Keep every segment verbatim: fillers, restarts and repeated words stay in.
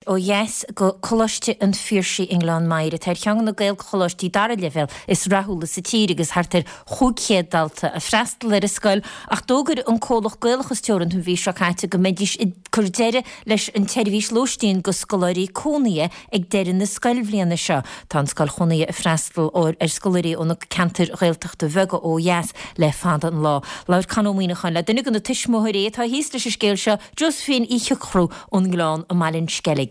Ó dheas go Coláiste an Phiarsaigh i nGleann Maghair atá ar cheann de na Gaelcholáistí dara leibhéal is rathúla sa tír agus thart ar chúig chéad dalta ag freastal ar an scoil ach d'fhógair an comhlacht Gaelachas Teoranta an mhí seo caite go mbeidís ag cur deireadh leis an tseirbhís lóistín go scoláirí cónaithe ag deireadh na scoilbhliana seo. Tá an scoil chónaithe ag freastal ar scoláirí ó na ceantair Ghaeltachta bheaga ó dheas le fada an lá. Labhair Con Ó Muíneacháin le duine de na tuismitheoirí atá thíos leis an scéal seo Josephine Uí Shiochrú ón nGleann i mBaile an Sceilg.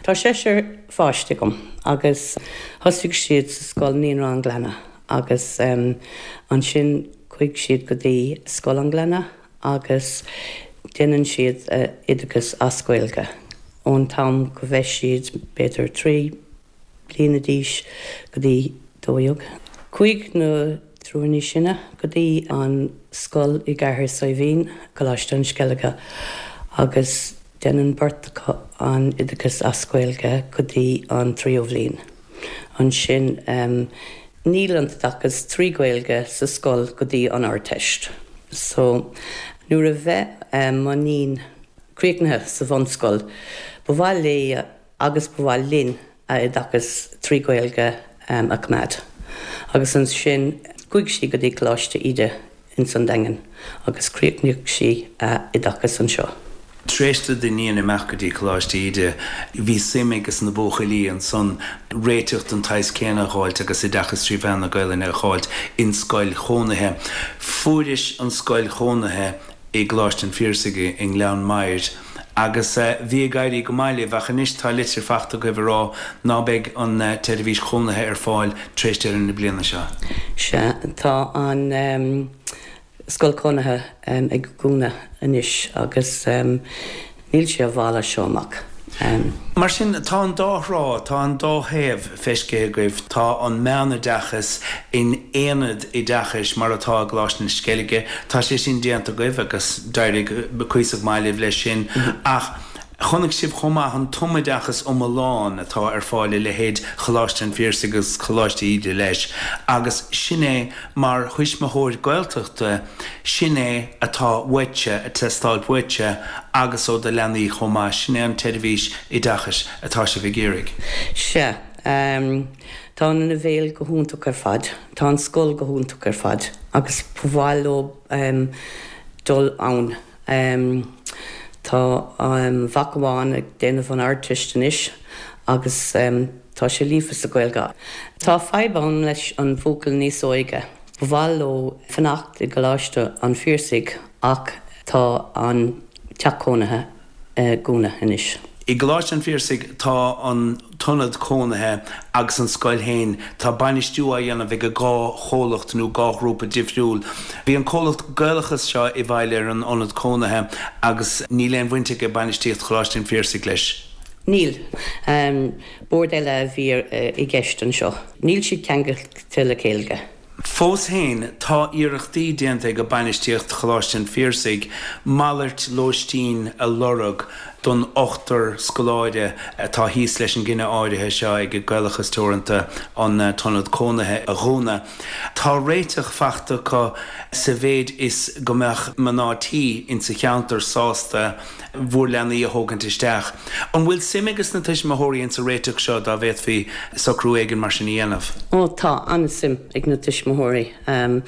Tá seisear pháiste agam agus thosaigh siad sa scoil Naíonra an Ghleanna agus um, ansin chuaigh siad go dtí Scoil an Ghleanna agus déanann siad uh, oideachas as Gaeilge. ón t-am go bheith siad b'fhéidir trí bliana d'aois go dtí dó dhéag. Chuaigh na triúr níos sine go dtí an scoil i gCathair Saidhbhín Coláiste na Sceilge agus déanann beirt an oideachas as Gaeilge go dtí an tríú bliain. Ansin um, níl an t-oideachas trí Ghaeilge sa scoil go dtí an Ardteist. So nuair a bheith um, m'iníon críochnaithe sa bhunscoil, ba mhaith léi agus ba mhaith linn a oideachas trí Ghaeilge um, a choimeád. Agus ansin chuaigh sí go dtí Coláiste Íde in san Daingean agus chríochnaigh sí a oideachas anseo. Tar éis do d'iníon imeacht go dtí Coláiste Íde bhí suim ages na buachaillí ansan réiteach den tsaghas céanna a fháilt agus oideachas trí mheán na Gaelainne a fháilt in scoil chónaithe. Fuairis an scoil chónaithe i gColáiste an Phiarsaigh i nGleann Maghair. agus uh, bhí ag éirí go maith libh ach anois tá litir faighte agaibh ag rá ná beidh an uh, tseirbhís chónaithe ar fáil tar éis deireadh na bliana seo. Sea tá an um, scoil chónaithe um, ag dúnadh anois agus um, níl sé bhála seo amach. Um, Mar sin tá an dá thrá tá an dá thaobh feicthe agaibh tá an meánoideachas in aonad oideachais mar atá i gColáiste na Sceilge, Tá sé sin déanta agaibh agus d'éirigh cuíosach maith libh leis sin ach chonaic sibh chomh maith an tumoideachas iomlán atá ar fáil le leithéid Choláiste an Phiarsaigh agus Coláiste Íde leis, agus sin é mar thuismitheoir Gaeltachta sin é atá uaitse ag teastáil uaitse agus ó do leanaí chomh maith sin é an tseirbhís oideachais atá sibh ag iarraidh. Sea um, Tá an leibhéal go hiontach ar fad, Tá an scoil go hiontach ar fad agus ba mhaith leo um, dul ann. Um, Tá um, mac amháin ag déanamh an Ardteist anois agus um, tá sé líofa sa Ghaeilge. Tá fadhb ann leis an bhuachaill níos óige. Ba mhaith leo fanacht i gColáiste an Phiarsaigh ach tá an teach cónaithe uh, dúnadh anois. I gColáiste an Phiarsaigh tá an t-ionad cónaithe agus an scoil féin tá bainistiú á dhéanamh ag dhá chomhlacht nó dhá ghrúpa difriúil. Bhí an comhlacht Gaelachas seo i bhfeighil ar an ionad cónaithe agus níl aon bhaint ag bainistíocht Choláiste an Phiarsaigh leis. Níl um, bord eile a bhí uh, i gceist anseo. Níl siad ceangailte le chéile. Fós féin tá iarrachtaí déanta ag bainistíocht Choláiste an Phiarsaigh malairt lóistín a lorg don ochtar scoláire atá thíos leis an gcinneadh áirithe seo ag Gaelachas Teoranta an t-ionad cónaithe a dhúnadh. Tá réiteach faighte acu sa mhéid is go mbeadh mná tí insa cheantar sásta bhur leanaí a thógaint isteach. An bhfuil suim ages na tuismitheoirí insa réiteach seo dá bhféadfaí socrú éigin mar sin a dhéanamh. Ó tá an-suim ag na tuismitheoirí. Um,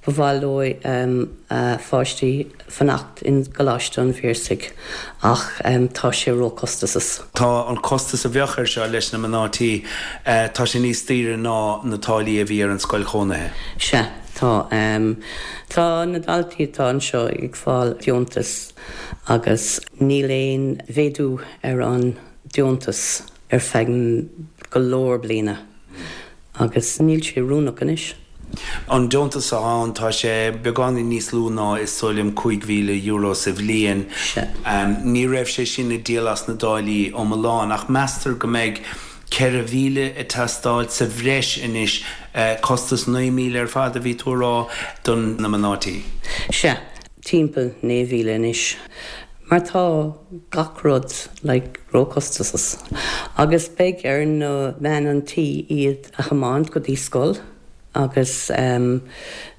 Ba mhaith leo um, uh, pháistí fanacht in gColáiste an Phiarsaigh ach um, tá sé róchostasach. Tá an costas a bheadh air seo leis na mná tí uh, tá sé níos daoire ná na táillí a bhí ar an scoil chónaithe. Sea tá um, tá na daltaí atá anseo ag fáil deontas agus níl aon mhéadú ar an deontas ar feadh go leor bliana agus níl sé oiriúnach anois. An deontas ann tá sé beagáinín níos lú ná is dóigh liom cúig mhíle euro sa bhliain. Um, ní raibh sé sin ag díol as na táillí iomlán ach meastar go mbeidh ceithre mhíle ag teastáil sa bhreis anois uh, costas naoi míle ar fad a bhí tú a rá don na mná tí. Sea timpeall naoi míle anois. Mar tá gach rud like, róchostasach. Agus beidh ar na bean an tí iad a thiomáint go dtí scoil agus um,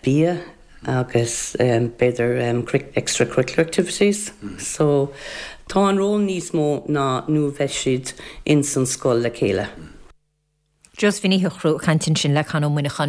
bia agus um, b'fhéidir um, extracurricular activities. Mm. So Tá an ról níos mó ná nuair a bheidh siad in san scoil le chéile. Josephine Ní Shochrú ag caint ansin le Con Ó Muineacháin.